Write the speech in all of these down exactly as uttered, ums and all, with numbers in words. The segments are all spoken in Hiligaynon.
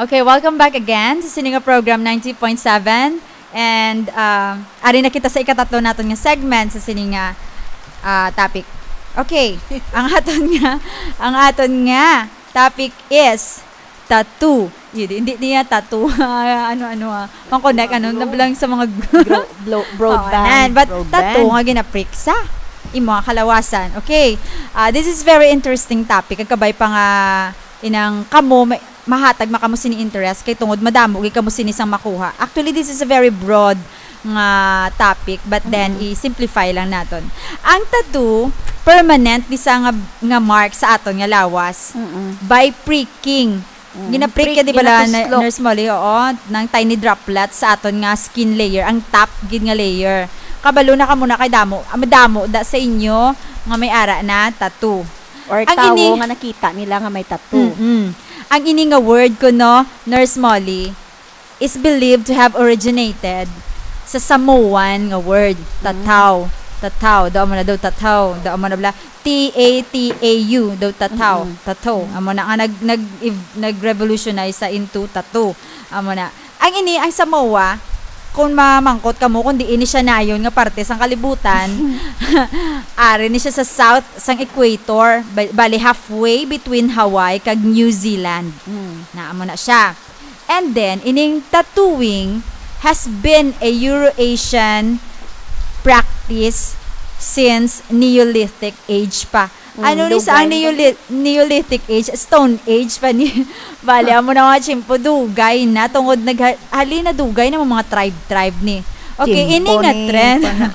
Okay, welcome back again sa sini nga program ninety point seven. And, uh, ari na kita sa ikatatlo naton nga segment sa sini nga, uh, topic. Okay, ang aton nga, ang aton nga topic is tattoo. Hindi, hindi niya tattoo. Ano, ano, ah. Pang-connect, ano, Blow. Nabilang sa mga Blow, blow, Oo, broadband. nan. But Broadband. tattoo nga ginaprick sa imo nga kalawasan. Okay. Ah, this is very interesting topic. Kag kabay pa nga inang kamo, may, mahatag man kamo sini interest kay tungod madamo gid kamo sini sang makuha. Actually, this is a very broad nga topic, but then Mm. i-simplify lang naton. Ang tattoo, permanent ni sa nga, nga mark sa aton nga lawas Mm-mm. by pricking. Mm. Ginaprick Prick, ka, di ba, la, ginatuslo. Nurse Molly? Oo, ng tiny droplets sa aton nga skin layer, ang top gid nga layer. Kabalo na kamo na kay damo, ah, madamo da sa inyo nga may ara na tattoo. Or Ang tawo ini nga nakita nila nga may tattoo. Mm-mm. Ang ini nga word kuno, Nurse Molly, is believed to have originated sa Samoan nga word, Mm. tataw. Tataw. Daw mo na daw tataw. Daw mo na bala. T A T A U. Daw tataw. Mm-mm. Tataw. Mm. Amo na nga nag, nag, ev-, nag-revolutionize sa into tattoo. Amo na. Ang ini, ang Samoa, kung mamangkot kamo, kung diin ni siya nayon nga parte sang kalibutan, ari ni siya sa south sang equator, ba-, bali halfway between Hawaii kag New Zealand. Mm. Na, amo na siya. And then, ining tattooing has been a Eurasian practice since Neolithic age pa. Mm, Ano ni sa ang dugay. Neoli-, Neolithic age? Stone Age pa ni. Bali, amo na mga tiyempo, dugay na. Tungod nagha-, hali na dugay na mga tribe-tribe ni. Okay, Tiyempo ini nga ni, trend. pana.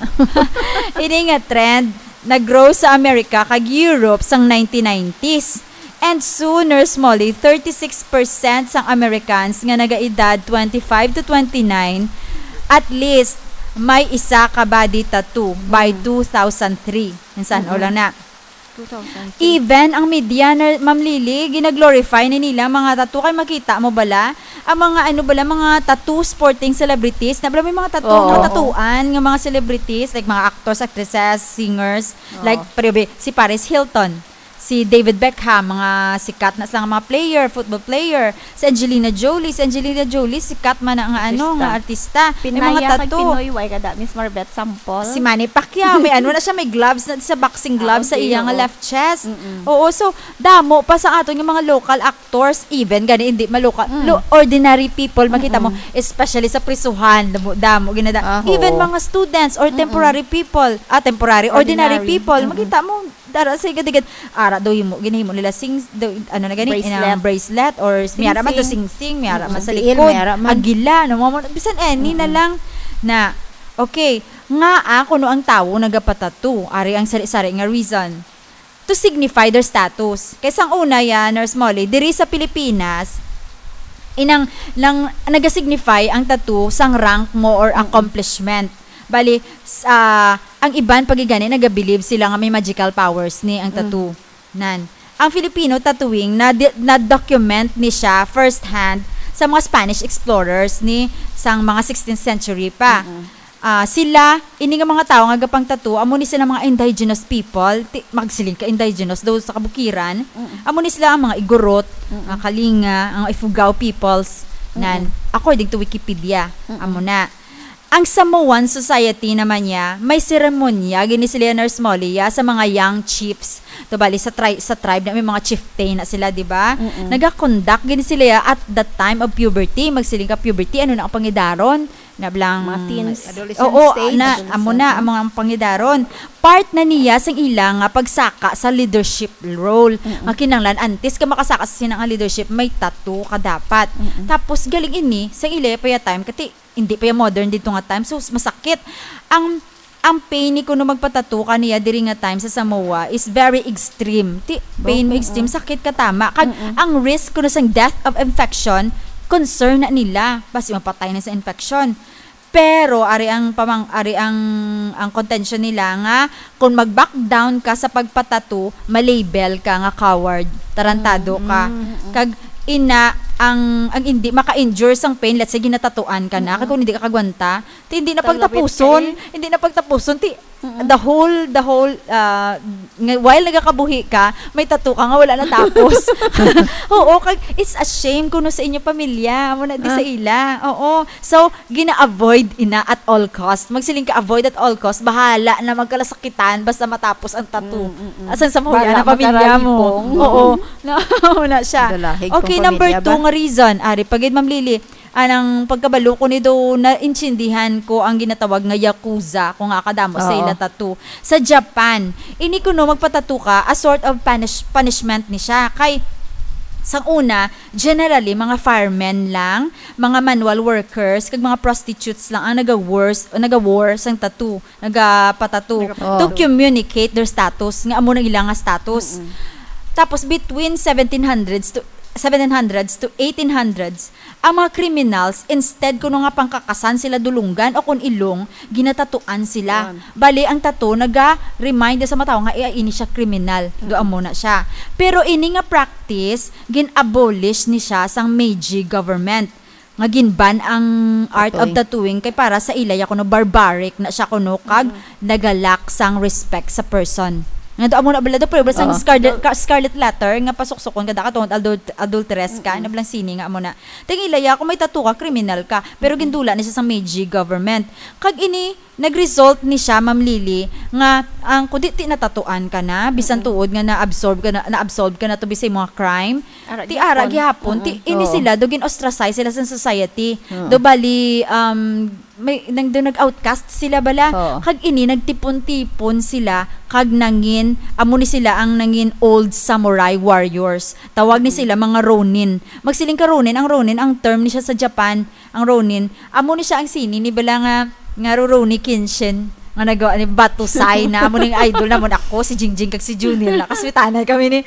Ini nga trend, nag-grow sa America kag Europe sang nineteen nineties. And soon, Nurse Molly, thirty-six percent sang Americans nga nagaedad twenty-five to twenty-nine, at least, may isa ka body tattoo by Mm. two thousand three. Insan, o Mm-mm. lang na. Two thousand three. Even ang media, na, Ma'am Lily, ginaglorify ni nila mga tattoo. Kay makita mo bala, ang mga ano bala, mga tattoo sporting celebrities, na bala may mga tattoo, Oo. mga tatuan nga mga celebrities, like mga actors, actresses, singers, Oo. like, pero be-, si Paris Hilton, si David Beckham, mga sikat na sila nga mga player, football player, si Angelina Jolie, si Angelina Jolie, sikat man na nga ano, Artista. nga artista. May mga Pinaya kag tattoo. Pinoy, why ka da, Miss Marbet, sample? Si Manny Pacquiao, may ano na siya, may gloves na sa boxing Ah, gloves sa okay, iya nga oo. left chest. Mm-mm. Oo, so, damo pa sa aton nga mga local actors, even gani hindi maloka-, Mm. lo-, ordinary people, makita mo, Mm-mm. especially sa prisuhan, damo, damo, ginada-, Ah, even oo. mga students or Mm-mm. temporary people, ah, temporary, ordinary Ordinary. people, Mm-mm. makita mo, dara sa igad-igad, ara daw himo, ginahimo nila sing, daw, ano na gani, Bracelet. inang bracelet or Sing-sing. miyara man to sing-sing, miyara man Mm-mm. sa Tiil, likod, miyara man. agila, no, mga, bisan any na Mm-mm. lang na, okay, nga, ah, kuno ang tawo nagapatato, ari ang sari-sari nga reason. To signify their status. Kay sang una ya, Nurse Molly, diri sa Pilipinas, inang, lang, nagasignify ang tattoo sang rank mo or Mm-mm. accomplishment. Bali, s-, ah, ang iban pagigani nagabilib sila nga may magical powers ni ang Mm. tattoo. Nan. Ang Filipino tattooing na di-, na-document ni siya firsthand sa mga Spanish explorers ni sang mga sixteenth century pa. Mm-mm. Ah, sila, ini nga mga tawo nga gapang-tattoo, amo ni sila mga indigenous people. Ti-, magsiling ka indigenous daw sa kabukiran. Mm-mm. Amo ni sila ang mga Igorot, Mm-mm. mga Kalinga, ang Ifugao peoples, nan, Mm-mm. according to Wikipedia. Mm-mm. Amo na. Ang Samoan society naman niya, may seremonya, gini sila, Nurse Molly, ya, sa mga young chiefs. To bali, sa tri-, sa tribe na may mga chieftain na sila, di ba? Mm-mm. Nagakondak gini sila ya at the time of puberty. Magsiling ka puberty, ano na ang pangidaron? Nablang Mga teens. Adolescent Oo, stage. na, Adolescent. amo na, ang mga pangidaron. Part na niya sang ila nga pagsaka sa leadership role. Mm-mm. Nga kinahanglan, antes ka makasaka sa sina nga leadership, may tattoo ka dapat. Mm-mm. Tapos, galing ini, sang ila pa ya time, kati, hindi pa ya modern dito nga time, so, masakit. Ang, ang pain ni kuno magpatattoo ka niya diri nga time sa Samoa is very extreme. Ti, pain mo Oo. extreme, sakit ka tama. Kag, Mm-mm. ang risk kuno sang death of infection, concern na nila. Basi mapatay na sa infection. Pero ari ang pamang-, ari ang, ang contention nila nga kung mag-back down ka sa pagpatattoo, ma-label ka nga coward, tarantado ka. Mm, mm. Kag ina, ang, ang hindi maka-endure sang pain, let's say, ginatatuan ka na, Mm. kag kung hindi ka kagwanta, ti hindi na Talawit ka pagtapuson, eh. hindi na pagtapuson, ti Mm. the whole, the whole, ah, nga, while nagakabuhi ka, may tattoo ka nga wala natapos. Oo, kag it's a shame kuno sa inyo pamilya, amo na di sa Ah. ila. Oo. So, gina-avoid ina at all cost. Magsiling ka, "Avoid at all cost. Bahala na magkalasakitan basta matapos ang tattoo." Mm, mm, mm. Asan sa mahuya Bahala na pamilya mo? magkaralipong. Oo. Na, amo na siya. Dalahig Okay, tong number pamilya two ba? nga reason, ari, pagid, Ma'am Lily, anang pagkabalo ko ni do, naintindihan ko ang ginatawag nga yakuza, kung nga kadamo sa Oo. ila tattoo. Sa Japan, ini kuno magpatattoo ka, a sort of punish-, punishment ni siya. Kay, sang una, generally, mga firemen lang, mga manual workers, kag mga prostitutes lang ang naga-worse, naga-wore sang tattoo, nagapatattoo, Nagapatattoo. to communicate their status, nga amo nang ila nga status. Mm-mm. Tapos, between seventeen hundreds to, seventeen hundreds to eighteen hundreds, ang mga criminals, instead kuno nga pangkakasan sila dulunggan o kun ilong, ginatatuan sila. Yan. Bali, ang tattoo naga-remind sa mga tawo nga, "Eh, ini siya kriminal." Do Mm. amo na siya. Pero ini nga practice, gin-abolish ni siya sang Meiji government. Nga gin-ban ang art of Tattooing. tattooing kay para sa ila ya kuno barbaric na siya kuno kag Mm. nagalack sang respect sa person. Nga do amo na bala do, pero bala sang Oo. Scarlet, ka-, Scarlet Letter nga pasuksukon ka da ka tungod adult-, adulteress ka, Mm-mm. na bala sini nga amo na. Ting ila ya, kung may tattoo ka, kriminal ka. Pero Mm-mm. gindula ni siya sa Meiji government. Kag ini, nag-result ni siya, Ma'am Lily, nga ang kundi ti natatuan ka na, bisan Mm-mm. tuod nga na-absorb ka na, na-absolve ka na to bisay mga crime. Ara Ti gihapon. ara gihapon, ti Mm-mm. ini Oo. sila, do gin-ostracize sila sa society. Oo. Do bali, um, may, nang, do nag-outcast sila bala. Oo. Kag ini, nagtipon-tipon sila, kag nangin, amo ni sila ang nangin old samurai warriors. Tawag ni Mm. sila mga Ronin. Magsiling ka Ronin, ang Ronin, ang term ni siya sa Japan, ang Ronin. Amo ni siya ang sini ni bala nga, nga Rurouni Kenshin. Nga nagawa ni Batusay na. Amo ning idol namon ako, si Jingjing kag si Junil na. Kaswitanay kami ni.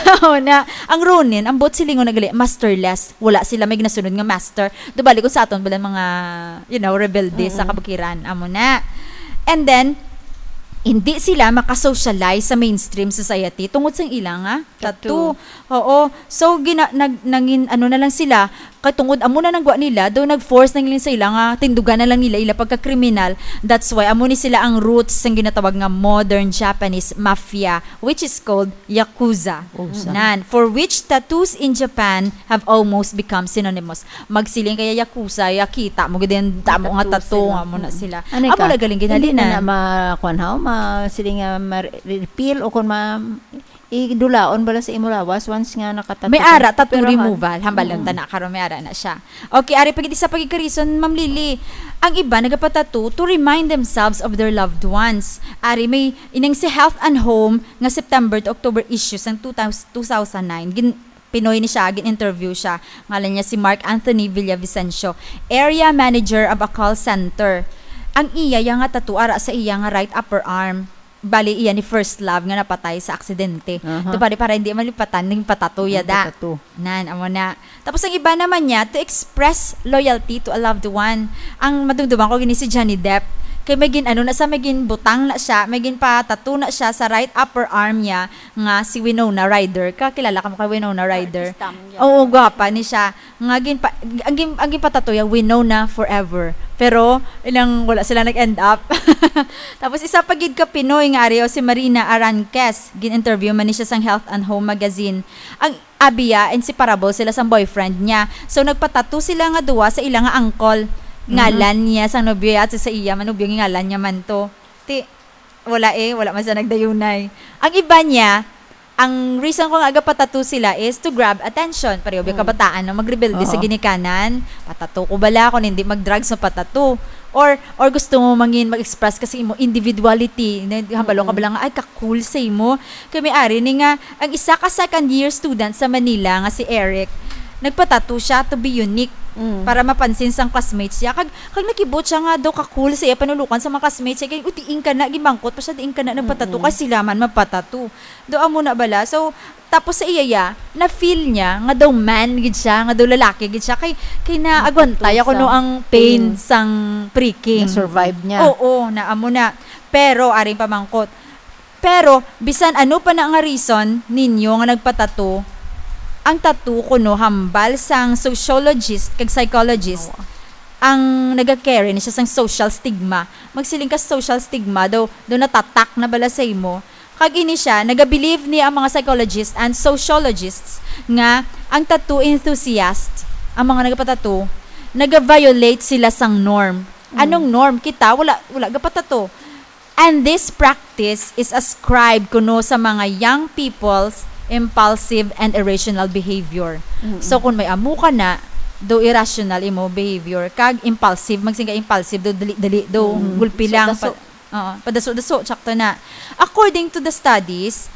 Amo na. Ang Ronin, ang buot silingon na gali, masterless. Wala sila may ginasunod nga master. Do bali kung sa aton bala mga, you know, rebelde sa Mm-mm. kabukiran. Amo na. And then, hindi sila makasocialize sa mainstream society tungod sa ilang, ah, Tattoo. tattoo. Oo. So, gina-, nag-, nangin-, ano na lang sila, katungod amo na nang gwa nila, do nag-force na lang sa ila nga tindugan na lang nila ila pagka-kriminal. That's why, amo ni sila ang roots sang ginatawag nga modern Japanese mafia, which is called Yakuza. Yakuza. Nan, for which tattoos in Japan have almost become synonymous. Magsiling kaya Yakuza, ya kita mo gid yung damo nga Tattoos tattoo sila. nga amo na Mm. sila. Ano Amo ka? na galing Hindi ginhalinan. na na ma-, kuwan, ha? Ma-, sila nga ma-repeal o kung ma-, idulaon bala sa imo lawas once nga nakatattoo May ka. ara tattoo Pero, ha? removal, hambal lang Mm. ta na karon may ara na siya. Okay, ari pagid isa pagid ka reason, Ma'am Lily. Ang iba nagapatattoo to remind themselves of their loved ones. Ari may inang si Health and Home nga September to October issue sang two thousand, two thousand nine. Gin-, Pinoy ni siya, gin-interview siya. Ngalan niya si Mark Anthony Villavicencio, area manager of a call center. Ang iya ya nga tattoo ara sa iya nga right upper arm. Bali, iya ni first love nga napatay sa aksidente. Aha. To, pare, para hindi malipatan, ning patato ya Ang da. patato. Nan, amo na. Tapos ang iba naman niya, to express loyalty to a loved one. Ang madumduman ko gini si Johnny Depp. Kay may gin, ano na sa, may gin butang na siya, may gin patato na siya sa right upper arm niya nga si Winona Ryder. Kakilala ka mo kay Winona Ryder? Artista mo yan. Oo, gwapa ni siya. Nga gin pa, ang gin, ang ginpatato ya, Winona forever. Pero, ilang wala sila nag-end up. Tapos, isa pa gid ka Pinoy nga ari, o si Marina Aranquez. Gin-interview man ni siya sang Health and Home magazine. Ang abi ya, inseparable sila sang boyfriend niya. So, nagpatato sila nga duwa sa ila nga angkol. Mhm. Ngalan niya sang nobyo ya, at sa iya man nobyo, ngalan niya man to. Ti, wala eh, wala man sa nagdayunay. Ang iba niya, ang reason ko nga agapatato sila is to grab attention. Pareho ba Mm. kabataan na magrebelde sa Oo. ginikanan? Patato ko bala kung hindi mag-drugs, mapatato. Or, or gusto mo mangin mag-express kasi imo individuality. Na, hambalo ka Mm. bala nga, "Ay, ka-cool sa imo." Kay may ari ni nga, ang isa ka second year student sa Manila nga si Eric, nagpatato siya to be unique Mm. para mapansin sang classmates siya. Kag, kag nakibot siya nga daw ka-cool sa iya panulukan sa mga classmates siya. Kay, "Uy, diin ka na, gimangkot pa siya, diin ka na nagpatato, Mm-mm. kay sila man magpatato." Do amo na bala. So, tapos sa iya ya, na-feel niya nga daw man gid siya, nga daw lalaki gid siya. Kay, kay naagwanta ya Nagpatusa. kuno ang pain Mm. sang pricking. Na-survive niya. Oo, na amo na. Pero, aring pamangkot. Pero, bisan ano pa na nga reason ninyo nga nagpatato, ang tattoo kuno hambal sang sociologist kag psychologist, ang naga-carry ni siya sang social stigma. Magsiling ka social stigma, daw, daw natatak na bala sa imo. Kag ini siya, naga-believe ni ang mga psychologist and sociologists nga ang tattoo enthusiast, ang mga nagapatattoo, naga-violate sila sang norm. Anong norm? Kita, wala, wala gapatattoo. And this practice is ascribed kuno sa mga young people's impulsive and irrational behavior. So, kung may amo ka na, do irrational imo behavior, kag impulsive, magsiling ka impulsive, do dali-dali, do gulpi lang, daso. Pa-, oo, padaso-daso, sakto na. According to the studies,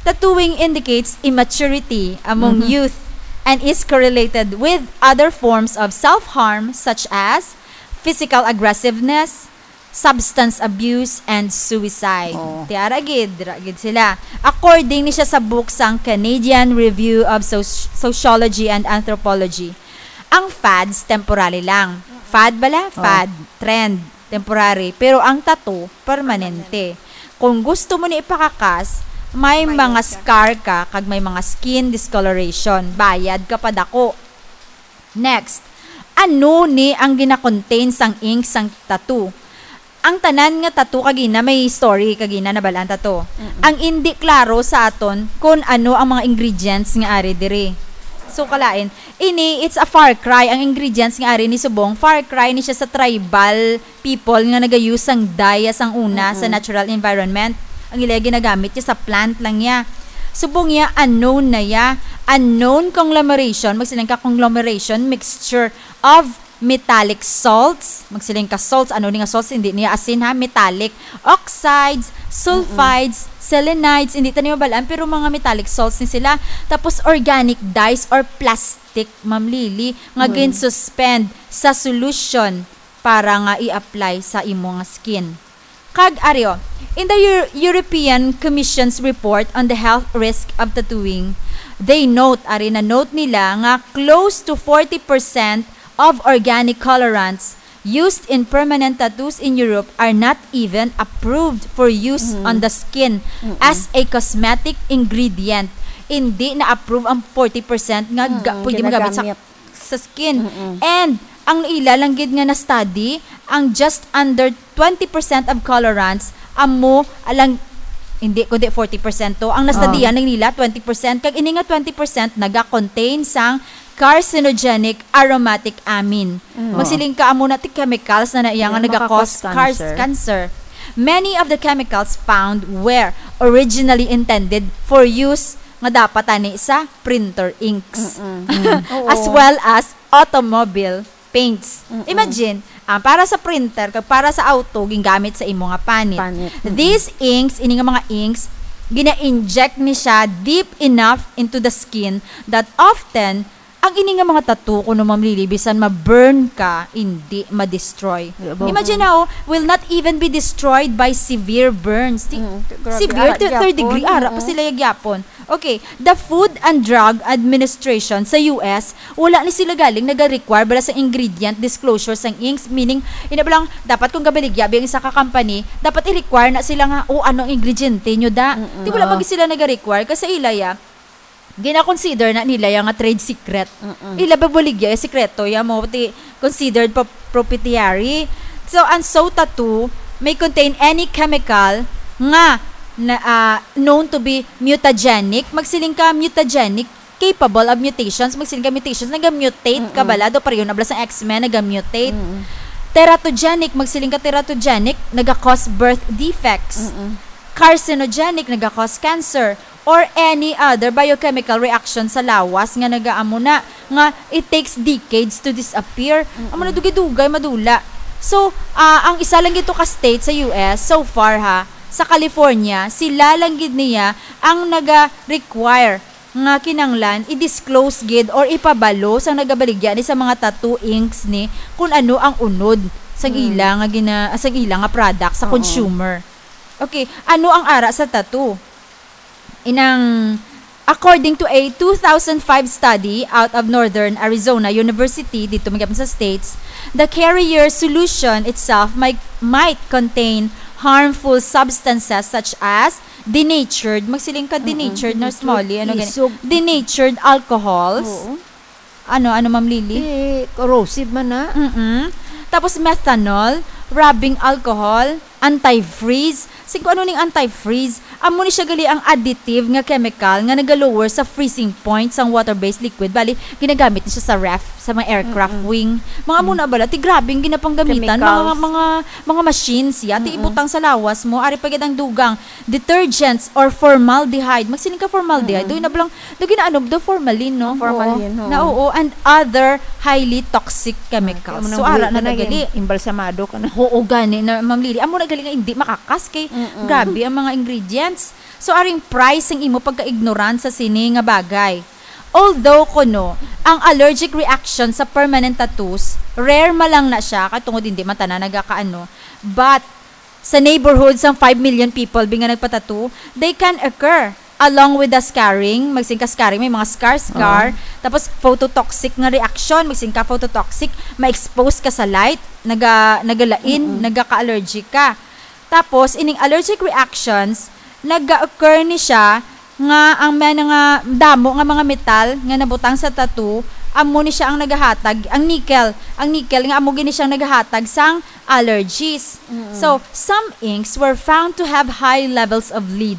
tattooing indicates immaturity among youth and is correlated with other forms of self-harm such as physical aggressiveness, substance abuse, and suicide. Oh. Ti ara gid, dira gid sila. According ni siya sa book sang Canadian Review of Soci-, Sociology and Anthropology, ang fads temporary lang. Fad bala? Oh. Fad, trend, temporary. Pero ang tattoo, permanente. Kung gusto mo ni ipakakas, may mga scar ka, kag may mga skin discoloration. Bayad ka pa dako. Next, ano ni ang gina-contain sang ink sang tattoo? Ang tanan nga tattoo kagina may story, kagina nabal-an ta to. Ang indi klaro sa aton kung ano ang mga ingredients nga ari diri. So, kalain, ini, it's a far cry. Ang ingredients nga ari ni subong, far cry ni siya sa tribal people nga nagayo sang dye sang una sa natural environment. Ang ila ginagamit niya sa plant lang niya. Subong niya, unknown na ya. Unknown conglomeration, magsiling ka conglomeration, mixture of metallic salts. Magsiling ka salts, ano ni nga salts? Hindi niya asin ha, metallic oxides, sulfides, selenides, hindi ta ni mabalaan, pero mga metallic salts ni sila. Tapos organic dyes or plastic, Ma'am Lily, nga gin-suspend sa solution para nga i-apply sa imo nga skin. Kag ari, oh, in the Eu-, European Commission's report on the health risk of tattooing, they note, ari na note nila nga close to forty percent of organic colorants used in permanent tattoos in Europe are not even approved for use on the skin as a cosmetic ingredient. Hindi na-approve ang forty percent nga ga-, pwede magamit sa ginagamit sa skin. And ang ila lang gid nga na-study, ang just under twenty percent of colorants amo alang, hindi, kundi forty percent to. Ang na-study-an lang nila, twenty percent. Kag ini nga twenty percent naga-contain sang carcinogenic aromatic amine. Magsiling ka, amo na ti chemicals na na iya nga naga-cause cars-, cancer. Many of the chemicals found were originally intended for use nga dapat ani sa printer inks. As well as automobile paints. Imagine, ah, para sa printer kag para sa auto, gingamit sa imo nga panit. Panit. These inks, ini nga mga inks, gina-inject ni siya deep enough into the skin that often, ang ini nga mga tattoo, kuno, Ma'am Lily, bisan ma-burn ka, hindi ma-destroy. Imagine now, will not even be destroyed by severe burns. Ti-, severe, ara, third degree, ara pa sila gyapon. Okay, the Food and Drug Administration sa U S, wala ni sila galing naga-require bala sa ingredient disclosure sang inks, meaning, ina ba lang, dapat kung gabaligya ba ang isa ka company, dapat i-require na sila nga, "Oh, ano ang ingrediente nyo da?" Di wala ba sila naga-require? Kasi ila ya, gina-consider na nila ya nga trade secret. Ila ba baligya, eh, sikreto ya mo, ti considered pa proprietary. So, ang so tattoo may contain any chemical nga na, ah, known to be mutagenic. Magsiling ka, mutagenic, capable of mutations. Magsiling ka, mutations, naga-mutate ka bala. Do, pareho na bala sa X-Men, naga-mutate. Teratogenic, magsiling ka, teratogenic, naga-cause birth defects. Carcinogenic, naga-cause cancer. Or any other biochemical reaction sa lawas nga nagaamo na, nga it takes decades to disappear. Amo na, dugay-dugay madula. So, ah, ang isa lang gito ka state sa U S, so far ha, sa California, sila lang gid niya ang naga-require nga kinanglan i-disclose gid or ipabalo sa nagabaligya ni sa mga tattoo inks ni kung ano ang unod sang ila nga gina-, sang ila nga product sa consumer. Okay, ano ang ara sa tattoo? Inang, according to a two thousand five study out of Northern Arizona University, dito man gyapon sa States, the carrier solution itself might, might contain harmful substances such as denatured, magsiling ka, Mm-mm. denatured, Nurse Denatured Molly, ano gani? isog. Denatured alcohols. Oo. Ano, ano, Ma'am Lily? Eh, corrosive man na. Mm-mm. Tapos methanol, rubbing alcohol, antifreeze. Sing, kung ano ning antifreeze? Amo ni siya gali ang additive nga chemical nga nagalower sa freezing point sang water-based liquid. Bali, ginagamit ni siya sa ref, sa mga aircraft Mm-mm. wing. Mga amo Mm. na bala, ti grabe ang ginapanggamitan. Mga, Chemicals. mga, mga machines, ya, ti Mm-mm. ibutang sa lawas mo. Ari pa gid ang dugang, detergents or formaldehyde. Magsiling ka formaldehyde. Mm-mm. Doy na bala, do ginaano, do formalin, no? Formalin, Oo. oo. Na, oo, and other highly toxic chemicals. Ah, So, amo nang ara buhi na ka na, nagali. Imbalsamado ka na. Oo, gani na, Ma'am Lily. Amo na gali nga hindi makakas kay Mm-mm. grabe ang mga ingredients. So, aring price ang imo pagka-ignorant sa sini nga bagay. Although, kuno, ang allergic reaction sa permanent tattoos, rare man lang na siya, kay tungod hindi man tanan nagakaano. But, sa neighborhood sang five million people, bi nga nagpatattoo, they can occur along with the scarring, magsiling ka scarring, may mga scar, scar, Oo. tapos phototoxic nga reaction, magsiling ka phototoxic, ma-expose ka sa light, naga-, nagalain, Mm-mm. nagaka-allergic ka. Tapos, ining allergic reactions, naga-occur ni siya nga ang mga nga damo nga mga metal nga nabutang sa tattoo, amo ni siya ang nagahatag, ang nickel, ang nickel nga amo gini siyang nagahatag sang allergies. Mm-mm. So, some inks were found to have high levels of lead.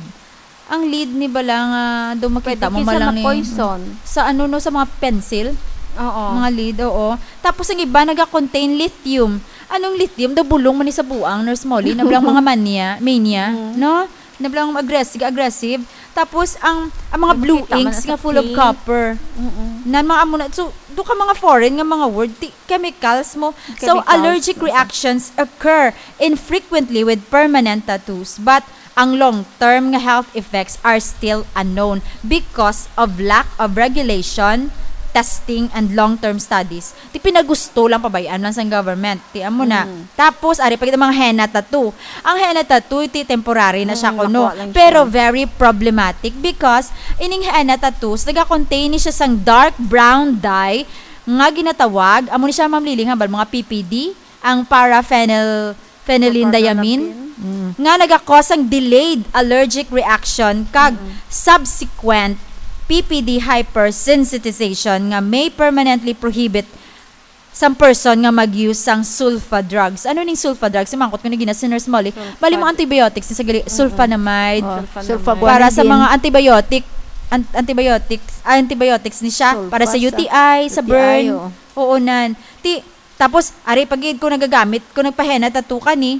Ang lead ni bala nga do makita Pwede mo kinsa malang ni ma-poison. sa ano, no, sa mga pencil, Oo. mga lead, oo. Tapos ang iba naga-contain lithium. Anong lithium? Daw bulong man ni sa buang, Nurse Molly, na bala mga mania, mania, Mm. no? Na bala aggressive, aggressive. Tapos ang, ang mga Daw blue makita man inks sa nga full of pink. copper. Mm-mm. Na mga amo na, so, do ka mga foreign nga mga word, ti-, chemicals mo. So, Chemicals, allergic basta. reactions occur infrequently with permanent tattoos, but ang long-term nga health effects are still unknown because of lack of regulation, testing, and long-term studies. Ti pinagusto lang, pabayaan lang sang government. Ti amo na. Mm. Tapos, ari pa gid ang mga henna tattoo. Ang henna tattoo, ti temporary na siya Mm, kuno. makuha lang Pero siya. very problematic because ining henna tattoos, naga-contain ni siya sang dark brown dye nga ginatawag, amo ni siya, Ma'am Lily, nga bal, mga P P D, ang paraphenyl-, phenylendiamine, Propylene. Mm. nga naga-cause sang delayed allergic reaction kag Mm. subsequent P P D hypersensitization nga may permanently prohibit sang person nga mag-use sang sulfa drugs. Ano ning sulfa drugs? Simangkot ko ni gina si Nurse Molly. Sulfa. Bali, mga antibiotics ni sa gali, Mm-mm. sulfonamide. Oh, Sulfa sulfaguanidine. Para sa mga antibiotic, an-, antibiotics, ah, antibiotics ni siya. Sulfa Para sa sa U T I, sa U T I, burn. oo. Oo, nan. Ti, tapos, ari pa gid ko nagagamit, ko nagpahena tattoo ka ni,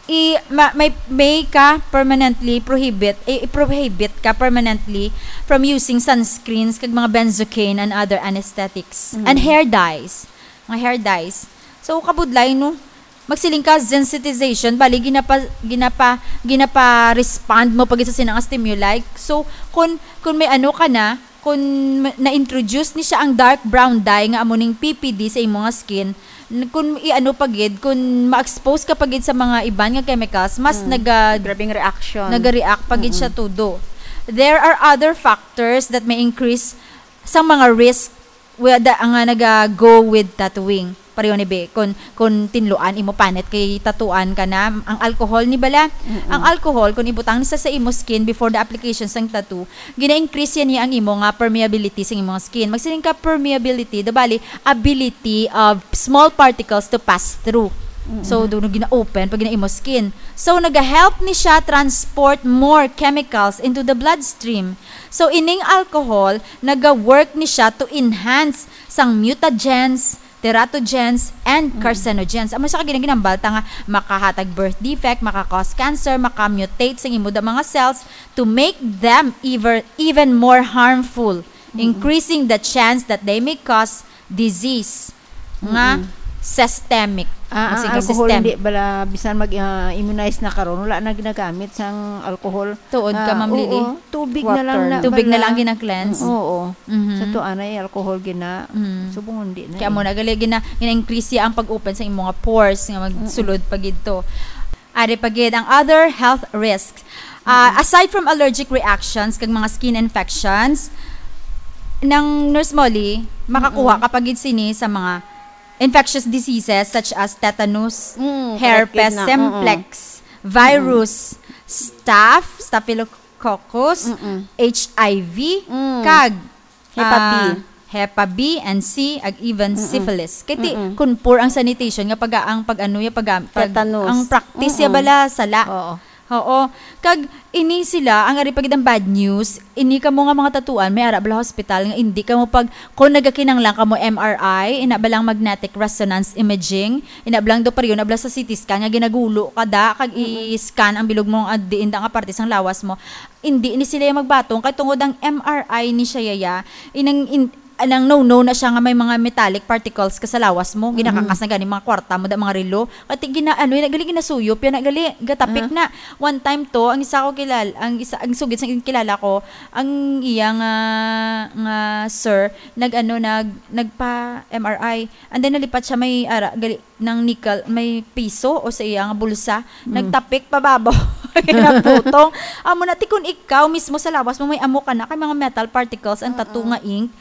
i-, ma-, may, may ka permanently prohibit, i-, i-prohibit ka permanently from using sunscreens kag mga benzocaine and other anesthetics Mm. and hair dyes. Mga hair dyes. So, kabudlay, no? Magsiling ka, sensitization, bali, ginapa-, ginapa-, ginapa-respond mo pa gid sa sina nga stimuli. So, kun, kun may ano ka na, kun ma-, na-introduce ni siya ang dark brown dye nga amo ning P P D sa imo nga skin, n-, kun i-ano pa gid, kun ma-expose ka pa gid sa mga iban nga chemicals, mas Mm. naga-, Grabing reaction. naga-react pa gid siya Mm-mm. todo. There are other factors that may increase sa mga risk wi-, da-, nga naga-go with tattooing. Pareho ni be, kun, kun tinluan imo panit kay tatuan ka na, ang alcohol ni bala, Mm-mm. ang alcohol, kun ibutang sa, sa imo skin before the application sang tattoo, gina-increase yan niya ang imo nga permeability sa imo nga skin. Magsiling ka permeability, do bali, ability of small particles to pass through. Mm-mm. So, do, gina-open pag gina imo skin. So, naga-help ni siya transport more chemicals into the bloodstream. So, ining alcohol, naga-work ni siya to enhance sang mutagens, teratogens, and Mm. carcinogens. Amo sa kaginang ginambalta nga makahatag birth defect, maka-cause cancer, maka-mutate sa imo da mga cells to make them even, even more harmful, Mm. increasing the chance that they may cause disease nga Mm-mm. systemic. Ah, ang Kasi ka alcohol system. hindi bala, bisan mag, ah, immunize na karon, wala na ginagamit sang alcohol. Tuod ka, Ah, Ma'am Lily? oo. Tubig na lang Water. na Tubig na bala. lang gina-cleanse? Mm, oo. Mhm. Sa tuwa na, eh, alcohol gina-, Mm. subong hindi na, Kaya eh. mo na, gali, gina-, gina-increase siya ang pag-open sa imong mga pores nga magsulod Mm-mm. pa gid to. Ari pa gid ang other health risks. Ah, Mm-mm. aside from allergic reactions kag mga skin infections, nang Nurse Molly, makakuha Mm-mm. ka pa gid sini sa mga infectious diseases such as tetanus, Mm, herpes correct, na. Mm-mm. simplex, virus, staph, staphylococcus, Mm-mm. H I V, Mm. kag, Hepa B. ah, Hepa B and C, ag even Mm-mm. syphilis. Kay ti, Mm-mm. kun poor ang sanitation nga pag, ang pag-ano ya, pag, pag, Tetanus. ang practice ya Mm-mm. bala, sala. Oo. Oo. Kag ini sila, ang ari pa gid ang bad news, ini kamo nga mga tatuan, may ara bala hospital nga indi kamo pag, kung nagakinanglan kamo M R I, ina bala magnetic resonance imaging, ina bala doppler, ina bala sa C T scan nga ginagulo ka da, kag Mm-mm. i-scan ang bilog mo, ang diin da nga parte sang lawas mo. Indi ni sila yung magbatong, kay tungod ang M R I ni siya yaya, inang in-, anang no-no na siya nga may mga metallic particles ka sa lawas mo, Mm-mm. ginakakas na gani mga kwarta mo da, mga relo. Kati gina-, ano, yun, gali ginasuyop, yan, gali gatapik Ah. na. One time to, ang isa ko kilal-, ang isa, ang sugid sa kilala ko, ang iya nga, nga sir, nag-ano, nag-, nagpa M R I. And then nalipat siya may ara, gali, ng nickel, may piso o sa iya nga bulsa, Mm. nagtapik pa babaw. Nagputong. Amo na, ti kun ikaw mismo sa lawas mo, may amo ka na, kay mga metal particles, ang tattoo Mm-mm. nga ink,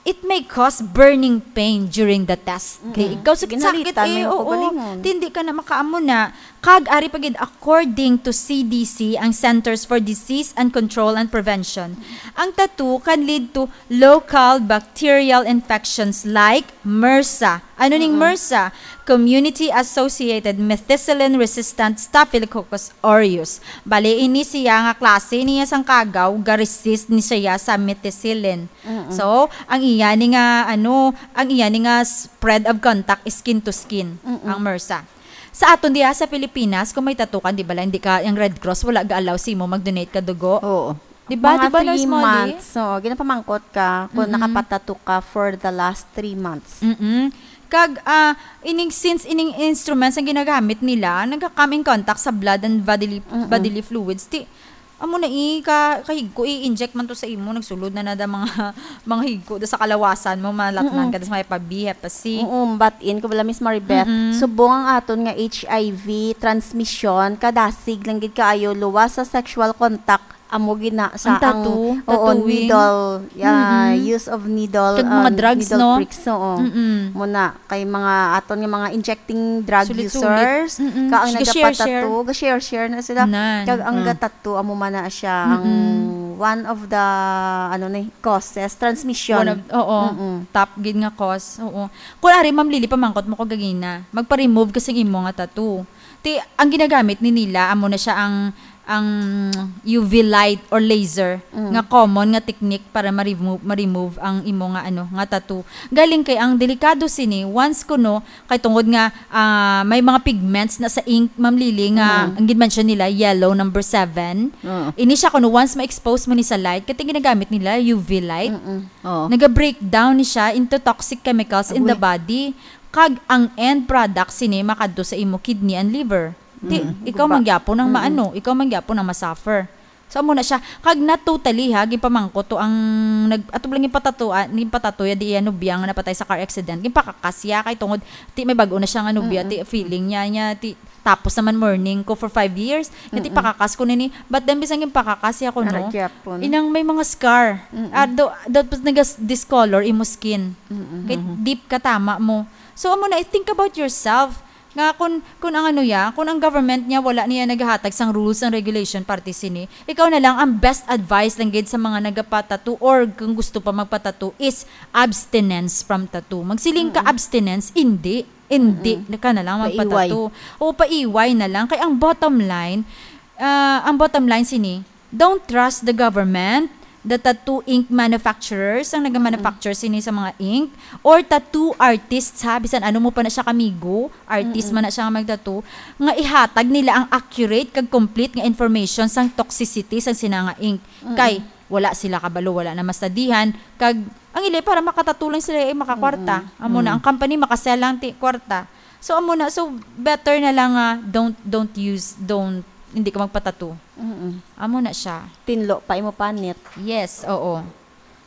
it may cause burning pain during the test. Mm. Di, ikaw sakit-sakit Ginalitan eh, may oo. kaugalingon. Di, hindi ka na makaamo na. Kag ari pa gid, according to C D C, ang Centers for Disease and Control and Prevention, ang tattoo can lead to local bacterial infections like MRSA. Ano ning Mm-mm. MRSA? Community-associated methicillin-resistant Staphylococcus aureus. Bali, ini siya nga klase niya sang kagaw, ga-resist ni siya sa methicillin. Mm-mm. So, ang iya ni nga, ano, ang iya ni nga spread of contact is skin to skin, Mm-mm. ang MRSA. Sa aton diha sa Pilipinas, kung may tattoo ka, di ba lang, hindi ka, yung Red Cross, wala ga-allow sa imo mag-donate ka dugo. Oo. Di ba? Mga Di ba, three Nurse Molly? months. So, ginapamangkot ka kung Mm-mm. nakapatato ka for the last three months. Mm-mm. Kag, ah, ining, since ining instruments ang ginagamit nila, nagka-come in contact sa blood and bodily, Mm-mm. bodily fluids. Ti, amo na i-, ka-, kahigko, i-inject man to sa imo, nagsulod na na da mga, mga higko da sa kalawasan mo, malatnan Mm-mm. ka da sa may pa-B, hepa-C. Oo, but in ko bala, Miss Maribeth, Mm-mm. subong ang aton nga H I V transmission, kadasig lang gid kaayo, luwas sa sexual contact, amo gid na sa Ang tattoo, ang, oo, tattooing. needle, yeah, Mm-mm. use of needle, Kag mga um, drugs, needle no? pricks, oo. Mm-mm. Mo na, kay mga aton nga mga injecting drug Sulit-sulit. users, Mm-mm. ka ang Ga-share-share. nagapatato, ga-share-share na sila. Nan. Kag ang Mm. gatato, amo man na siya, ang Mm-mm. one of the, ano ni, causes, transmission. One of, oo. Mm-mm. Top gid nga cause, oo. Kung ari, Ma'am Lily, pamangkot mo ko gagina, magpa-remove ka sing imo nga tattoo. Ti, ang ginagamit ni nila, amo na siya ang, ang U V light or laser Mm. nga common nga technique para ma-remove, ma-remove ang imo nga, ano, nga tattoo. Galing kay ang delikado sini, once kuno, kay tungod nga, ah, may mga pigments na sa ink, Ma'am Lily, nga Mm. ang gid-mention nila, yellow number seven. Oo. Ini siya kuno, once ma-expose mo ni sa light, kay ginagamit nila U V light. Mm-mm. Oo. Naga-breakdown ni siya into toxic chemicals in the Agoy. body. Kag ang end product sini makadto sa imo kidney and liver. Ti, Mm. ikaw Guba. man gyapon ang Mm-mm. maano, ikaw man gyapon ang masuffer. So, amo na siya. Kag not totally, ha, gipamangkot to ang nag-, ato lang gipatato, ah, gipatato ya di iya nobya nga napatay sa car accident. Gipakakas ya kay tungod, ti may bag-o na siya nga nobya, Mm-mm. ti feeling niya, niya, ti tapos naman mourning ko for five years, nga ti Mm-mm. pakakas ko nini. But then, bisan gipakakas ya ko, Ara no? gyapon. Inang may mga scar. Mm-mm. Ah, do, do, nagas-, discolor imo skin. Mm-mm. Kay Mm-hmm. deep ka tama mo. So, amo na, think about yourself. Nga kun, kun ang ano ya, kun ang government niya wala niya naghatag sang rules and regulation parte sini, ikaw na lang ang best advice lang gid sa mga nagapatato or kung gusto pa magpatato is abstinence from tattoo. Magsiling ka Mm-mm. abstinence, hindi, hindi Mm-mm. na ka na lang Paiway. magpatato. O paiway na lang. Kay ang bottom line, ah, ang bottom line sini, don't trust the government, the tattoo ink manufacturers, ang nag-manufacture Mm. sini sa mga ink, or tattoo artists, ha, bisan ano mo pa na siya kamigo, artist Mm-mm. man na siya nga magtattoo, nga ihatag nila ang accurate kag complete nga information sang toxicity sang sina nga ink. Mm-mm. Kay wala sila kabalo, wala na mastadihan, kag ang ili para makatattoo lang sila, eh, makakwarta. Mm-mm. Amo na, Mm. ang company makasell lang ti kwarta. So, amo na, so better na lang nga don't, don't use, don't, hindi ka magpatattoo. Mm-mm. Amo na siya. Tinlo pa imo panit. Yes, oo.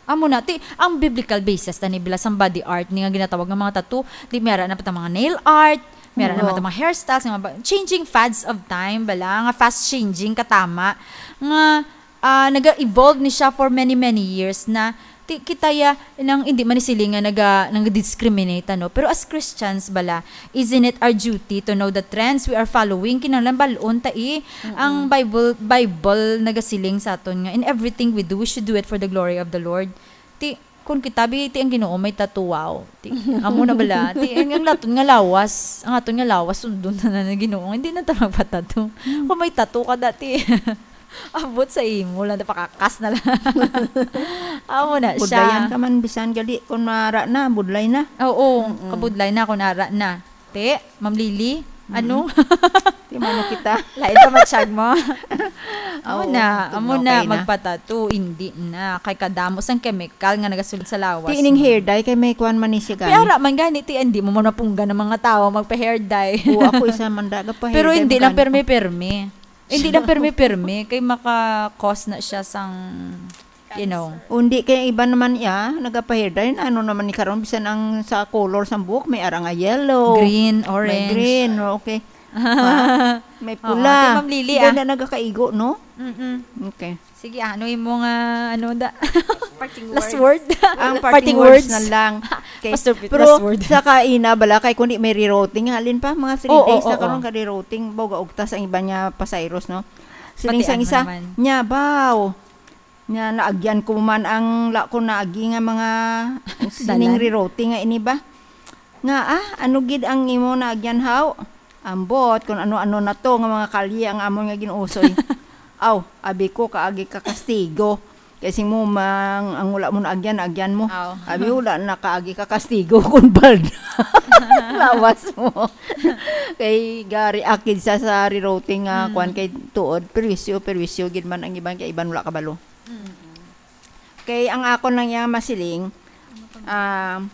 Amo na, ti, ang biblical basis na ni bila sang body art ni nga ginatawag nga mga tattoo, di may ara na pa ta mga nail art, may ara na Oo. man ta mga hairstyles, nga ba, changing fads of time, bala, nga fast changing, katama, nga, ah, naga-evolve ni siya for many, many years na Ti-, kita ya, nang hindi man ni sila nga naga-, nag-discriminate, ano? Pero as Christians bala, isn't it our duty to know the trends we are following? Kinahanglan bal-on ta, eh. Ang Bible, Bible nagasiling sa aton nga, "In everything we do, we should do it for the glory of the Lord." Ti, kung kita, bi, ti ang Ginoo may tattoo, wow. Ti, amo na bala. Ti, ang, ang aton nga lawas, ang aton nga lawas, sundon na na ng Ginoo. Hindi na ta magpatattoo. Kung may tattoo ka dati, abot sa imo lang, pakakas na lang. Amo na siya. Budlayan ka man, bisan gali, kung mara na, budlay na. Oo, Mm-mm. kabudlay na kung ara na. Te, Ma'am Lily, ano? Di man na kita. Lain pa matsyag mo. Amo Oo, na, amo tugnaw na, kayo na. Magpatato, hindi na. Kay kadamo sang chemical nga nagasulod sa lawas Ti ining mo. Hair dye, kay may kuwan man ni siya gani. Piara man gani, ti, hindi mo man mapunggan ng mga tao magpa-hair dye. Oo, ako isa man daga pa Pero hair dye hindi mo lang gani. Permi-permi. Hindi lang permi-permi, kay maka-cause na siya sang, you know. Undi kay iba naman iya, nagapa-hair dye, ano naman ni karon, bisan ang sa color sang buhok, may ara nga yellow, Green, may orange. Green, okay. Ha? May Oo, pula. Ate Ma'am Lily, Hindi ah. Na nagakaigo, no? Mm-mm. Okay. Sige, ano yung mga, ano da? Parting Last words. Word? Ang Parting parting words words. Na lang. Okay. Pastor Pete, Pero last word. Sa kaina, bala, kay kundi may rerouting, halin pa, mga three Oo, days na oo. Karon ka rerouting, baw gaugtas ang iba niya pasayros, no? Sining Pati sang ano isa, naman. Nya, baw. Nya, naagyan ko man ang la ko naagi nga mga sining Dalan. Rerouting nga ini ba? Nga, ah, ano gid ang imo naagyan, haw? Ambot, kung ano-ano na to, nga mga kalye ang amon nga ginuusoy. Aw, abi ko, kaagi ka kastigo. Kay sing mo, mang, ang wala mo naagyan, naagyan mo. Aw. Abi, wala na kaagi ka kastigo, kung balda. Lawas mo. Kay gari akid sa, sa rerouting nga, Mm. kwan kay tuod, perwisyo, perwisyo, gid man ang iban, kay iban wala kabalo. Mm. Kay ang akon lang yang masiling, ah,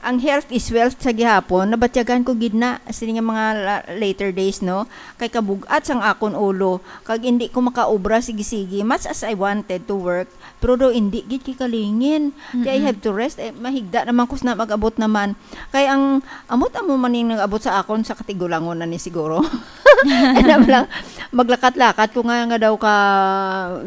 ang health is wealth sa gihapon, nabatyagan ko gid na sini nga mga la-, later days, no? Kay kabug-at sang akon ulo, kag indi ko makaobra sige-sige, much as I wanted to work, pero daw indi gid kay kalingin. Kay I Mm-mm. Have to rest, eh, mahigda naman ko sa mag-abot naman. Kay ang amot amo man ning nag-abot sa akon sa katigulangon na ni siguro. Ano lang, maglakat-lakat ko nga, nga daw ka,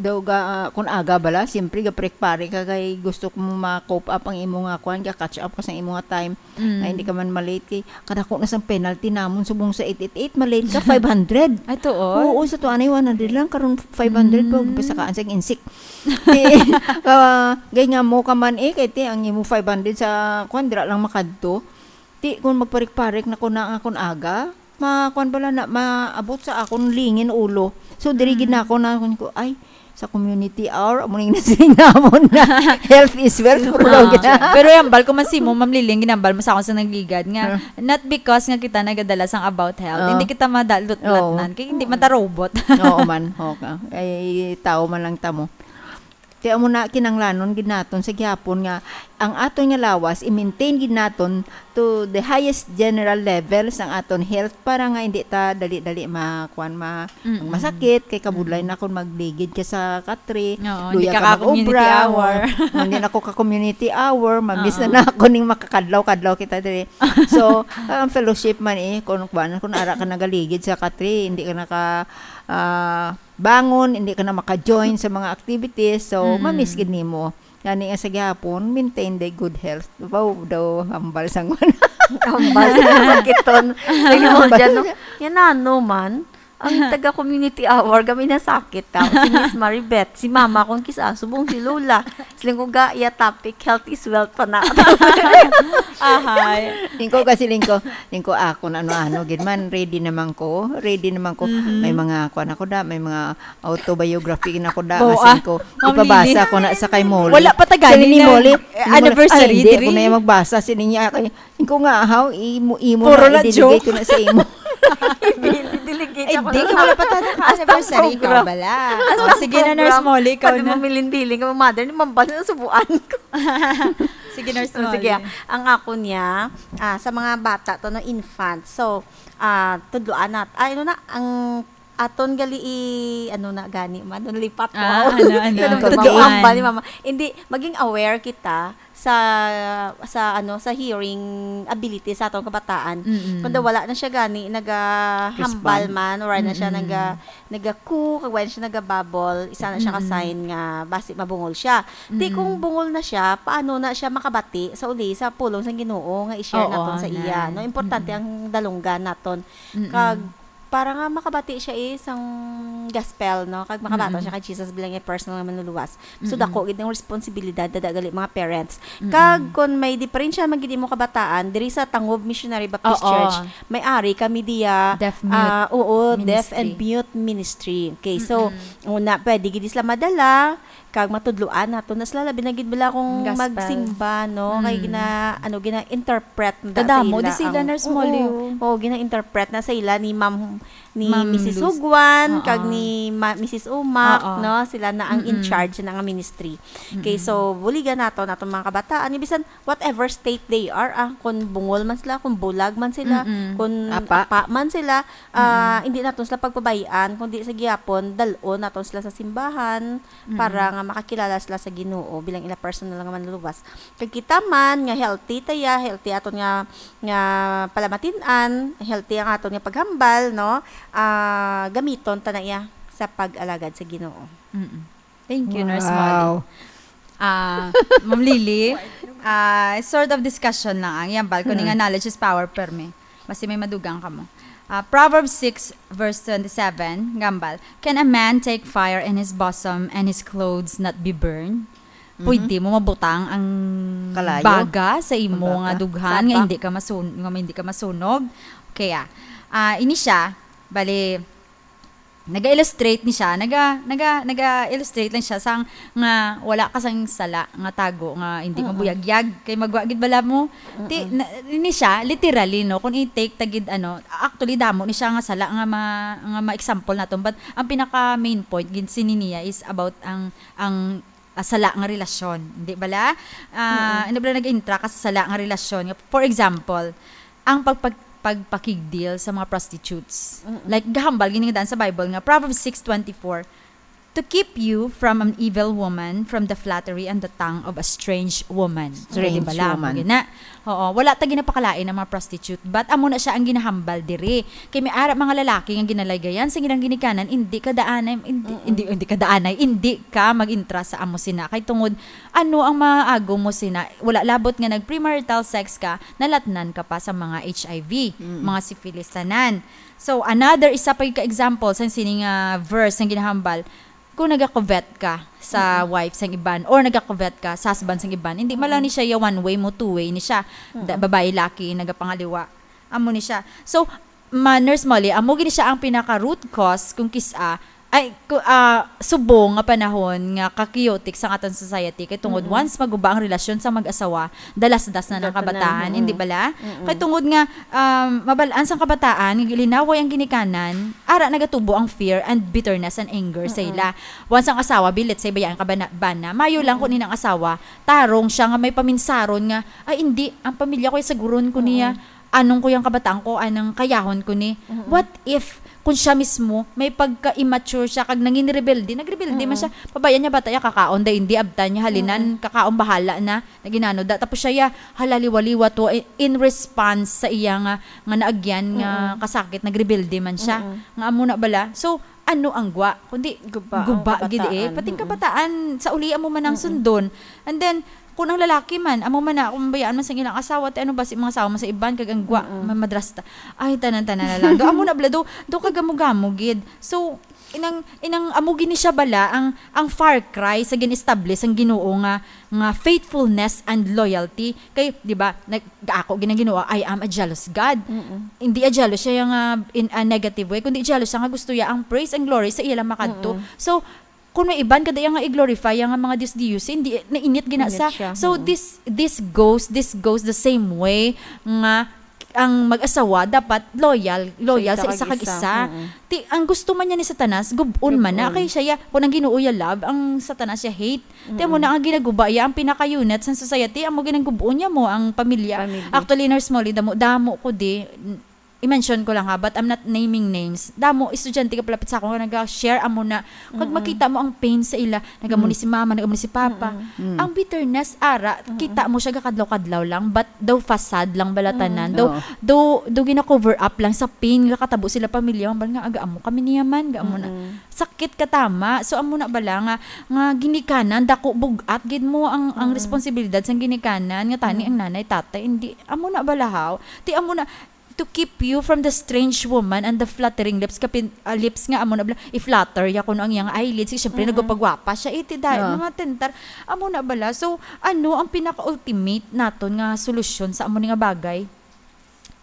daw ga, kun aga bala, siyempre ga-prekpare ka kay gusto ko ma-cope up ang imo nga kwan, ga-catch up ka sa imo nga time. Mm. Nga hindi ka man malate kay kadako na sang penalty namon subong sa eight eight eight, malate ka five hundred. Ay, tuod? Oo, sa tuanay one hundred lang, karon five hundred pa, Mm. Pasakaan sa insik. Ti, ah, gay nga mo ka man eh, kay ti ang imo five hundred sa kwan, dira lang makadto. Ti, kung magparik-parik na ko na ang akon aga, ma-, kwan bala na, maabot sa akon lingin ulo. So, diri gid na Mm. ako na, kung ko, "Ay, sa community hour, amo ning nasiling namon na health is wealth, Sino puro ka? Gid na." Pero yung ambal ko man si mo, Ma'am Lily, ang ginambal mo sa akon sa nagligad nga, Ah. Not because nga kita nagadala sang about health, Ah. Hindi kita madalot-lat Oo. Nan, kay hindi man ta robot. Oo man, okay. Ay, tao man lang ta mo. Kaya mo na kinanglanon gid naton sa gihapon nga ang aton nga lawas i-maintain gid naton to the highest general level sang aton health para nga hindi ta dali-dali ma-, kuwan, ma-, Mm-mm. masakit kay kabudlay Mm-mm. Na kung magligid ka sa katri, Oo, luya hindi ka ka ka-community mag-obra, hour. Hindi na ko ka-community hour, mamiss Oo. Na na ako ning makakadlaw-kadlaw kita diri. So, ang fellowship man eh, kung kuwan, kung ara ka nagaligid sa katri, hindi ka naka, ah, bangon, hindi ka na maka-join sa mga activities, so, Mm-mm. Mamiss gid nimo. Gani nga sa gihapon, maintain the good health. Wow, daw, hambal sang wala. Hambal sa sakiton. Sa Hambal. Yan, no? Yan, ano man, ang taga-community hour, kami nasakit ta. Si Miss Maribeth, si mama kong kisa, subong si Lola. Siling ko ga, iya topic, health is wealth pa na. Ahay. Lingko kasi, lingko, lingko ako na ano-ano, gid man, ready naman ko, ready naman ko. Mhm. May mga, kuwan ako da, may mga autobiography na ko da, Bo, nga ah, singko, Ma'am ipabasa Lily. Ko na sa kay Molly. Wala pa ta gani Sa ni na, Molly, eh, ni Molly, anniversary "Ay, hindi diri. Ako na yung magbasa." Sini niya, kay, ko nga, "Haw, imo, imo Puro na, na idinigay joke. Ko na sa imo." Ibili, delegate Ay, ako di, na wala pa ta Hasta anniversary, program. Ikaw bala. Hasta Oh, sige na, Nurse program. Molly, ikaw Pwede na. Mamiling-biling ka, mother, ni mambal na subuan ko. Sige, Nurse So, Molly. Sige, ang ako niya, ah, sa mga bata to, no, infant. So, ah, tudloan nat-, ay, ano na, ang Aton gali i-, ano na gani man, nalipat ko. Ah, ano, ano, Ano ba, tudloan. Hambal ni mama. Hindi, maging aware kita sa, sa, ano, sa hearing ability sa atong kabataan. Mm-mm. Kung daw wala na siya gani, nagahambal Respond. man, or na siya Mm-mm. naga-, nagaku, kag wala siya nagababol, isa na siya ka Mm-mm. sign nga basi mabungol siya. Di Mm-mm. kung bungol na siya, paano na siya makabati sa uli sa pulong sang Ginoo nga i-share Oo, naton sa na. iya, no? Importante Mm-mm. ang dalunggan naton. Mm-mm. Kag para nga makabati siya, eh, sang gospel, no? Kag makabaton Mm-mm. siya kay Jesus bilang iyang personal nga manluluwas. So, Mm-mm. dako gid ang responsibilidad, dada gali mga parents. Mm-mm. Kag kon may diferensya man gid imo kabataan, diri sa Tangob Missionary Baptist Oo. Church, may ari kami diya, Deaf mute ah, oo, deaf and ministry. mute ministry. Okay, so, Mm-mm. una, pwede gid sila madala, kag matudloan nato na sila, labi na gid bala kung Gospel. magsimba, no? Kay Mm. gina-, ano, gina-interpret na sa Kadamo, ila di sila, ang, Nurse oo, Molly, oh. oo, gina-interpret na sa ila ni Ma'am, ni Ma'am Missus Luz. Juan, Oo. kag ni Ma-, Missus Umac, Oo. no? Sila na ang in Mm-mm. charge na nga ministry. Okay, Mm-mm. so, buligan nato, natong mga kabataan, nga bisan whatever state they are, ah, kung bungol man sila, kung bulag man sila, Mm-mm. kung Apa. apa man sila, ah, Mm-mm. hindi naton sila pagpabayaan, kundi sa gihapon, dal-on naton sila sa simbahan, Mm-mm. para nga makakilala sila sa Ginoo bilang ila personal nga manluluwas. Kag kita man nga healthy ta ya, healthy aton nga, nga palamatin-an, healthy ang aton nga paghambal, no? Ah, gamiton ta na iya sa pag-alagad sa Ginoo. Mm-mm. Thank you, Nurse Molly. Wow. Ah, Ma'am Lily, ah, sort of discussion lang ang iyang bal ko ni nga Mm. knowledge is power, permi. Basi may madugang kamo. Ah, Proverbs six verse twenty-seven, gambal, "Can a man take fire in his bosom and his clothes not be burned?" Mhm. Pwede mo mabutang ang Kalayo. baga sa imo Ang baga. nga dughan nga Sapa. hindi ka masun-, nga hindi ka masunog? Kaya, ah, ini siya, bali, naga-illustrate ni siya, naga, naga, naga-illustrate lang siya sang nga wala ka sang sala nga tago nga hindi Mm-mm. mabuyagyag kay magwa gid bala mo. Ti, Mm-mm. na, ni siya literally, no, kung i-take ta gid, ano, actually damo ni siya nga sala nga ma-, nga ma-example naton, but ang pinaka main point gid sini niya is about ang, ang ah, sala nga relasyon, di bala? Ah, Mm-mm. Ano bala nag-intra ka sa sala nga relasyon? Nga, for example, ang pagpag-, pagpakigdil sa mga prostitutes. Mm-mm. Like, gahambal gini nga daan sa Bible nga, Proverbs six twenty-four, "To keep you from an evil woman, from the flattery and the tongue of a strange woman." Strange Di bala? Amo woman. gina. Oo, wala ta ginapakalain ang mga prostitute, but amo na siya ang ginahambal diri. Kay may ara mga lalaki nga ginalaygayan sa ilang ginikanan, indi ka daanay, indi, Mm-mm. indi, indi ka daanay, indi ka mag-intra sa amo sina. Kay tungod, ano ang maago mo sina? Wala labot nga nag-premarital sex ka, nalatnan ka pa sa mga H I V, Mm. mga syphilis tanan. So, another, isa pa ka example sa sini nga verse nga ginahambal, kung nagakuvet ka sa Mm-mm. wife sang iban or nagakuvet ka sa husband sang iban, hindi man lang Mm-mm. ni siya ya one way mo, two way ni siya. Da-, Mm-mm. babae, laki, nagapangaliwa. Amo ni siya. So, ma-, Nurse Molly, amo gini siya ang pinaka root cause kung kis-a, ay, ku-, ah, subong nga panahon nga ka-chaotic sa aton society. Kay tungod Mm-mm. once maguba ang relasyon sa mag-asawa, dalasdas na ng Dato na, kabataan, mm. hindi bala? Mm-mm. Kay tungod nga, um, mabal-an sang kabataan, nga gilinaway ang ginikanan, ara nagatubo ang fear and bitterness and anger sa Mm-mm. ila. Once ang asawa, bi, let's say, bayaan ka bana, bana, mayo lang Mm-mm. kung inang asawa, tarong siya nga may paminsaron nga, "Ay, hindi, ang pamilya ko, saguron ko niya. Mm-mm. Anong ko yang kabataan ko, anang kayahon ko ni?" Mm-mm. What if, kung siya mismo, may pagka-immature siya, kag nangin rebelde, nagrebelde man Mm-mm. siya, pabayaan niya bata ya kakaon, day, hindi, abtan niya, halinan, Mm-mm. kakaon, bahala na. Naginano da. Tapos siya, ya, hala, liwa-liwa to, i-, in response sa iya nga, nga naagyan nga Mm-mm. kasakit, nagrebelde man siya. Mm-mm. Nga amo na bala. So, ano ang gwa? Kundi Guba ang guba gid eh. kabataan. Pati ang Mm-mm. kabataan, sa uli amo man ang Mm-mm. sundon. And then, kung ang lalaki man, amo man na, kung bayaan man sa ilang asawa, ti ano ba si mga asawa man sa iban, kag ang gwa, Mm-mm. ma-, madrasta. Ay, tanan-tanan na lang. Do, amo na bala, do, do kagamo-gamo gid. So, inang, inang amo gini siya bala, ang, ang far cry sa gin-establish ang Ginoo nga, nga faithfulness and loyalty. Kay, di ba, nag-, ako gina Ginoo, "I am a jealous God." Mm-mm. Hindi a jealous siya nga in a negative way, kundi jealous siya nga gusto niya ang praise and glory sa iya lang makadto. Mm-mm. So, kung may iban kada iya nga i-glorify ang mga dios-dios, hindi, nainit gina Init sa. siya, So, mm. this, this goes, this goes the same way nga ang mag-asawa dapat loyal, loyal Sa sa isa isa kag kag isa. isa. Mm-mm. Ti, ang gusto man niya ni Satanas, gub-on man na. Gub-on. Kay siya, ya, kung ang Ginoo ya love, ang Satanas ya hate. Ti, amo Mm-mm. na ang ginaguba ya, ang pinaka-unit sa society, amo ginagub-on niya mo ang pamilya. Family. Actually, Nurse Molly, damo, damo ko di, n-, I-mention ko lang ha, but I'm not naming names. Damo estudyante ka palapit sa ako nga naga-share amo na. Kag Mm-mm. makita mo ang pain sa ila, nagamo ni Mm. si mama, nagamo ni si papa. Mm-mm. Mm. Ang bitterness ara, Mm-mm. kita mo siya gakadlaw-kadlaw lang, but daw facade lang bala Mm. tanan. Daw, Oo. daw, daw gina-cover up lang sa pain nga katabo sila pamilya, hambal nga aga amo kami niya man, ga amo na. Mm-mm. Sakit ka tama. So amo na bala nga, nga ginikanan, dako, bug-at gid mo ang, ang Mm. responsibilidad sang ginikanan nga tani Mm. ang nanay, tatay, hindi, amo na bala haw. Ti amo na, to keep you from the strange woman and the flattering lips, kapin, ah, lips nga amo na bala, i-flatter ya kuno ang iyang eyelids, kay syempre Mm-mm. nagpagwapa siya, iti dahil Ah. mga tentar, amo na bala. So, ano ang pinaka-ultimate naton nga solusyon sa amo ni nga bagay?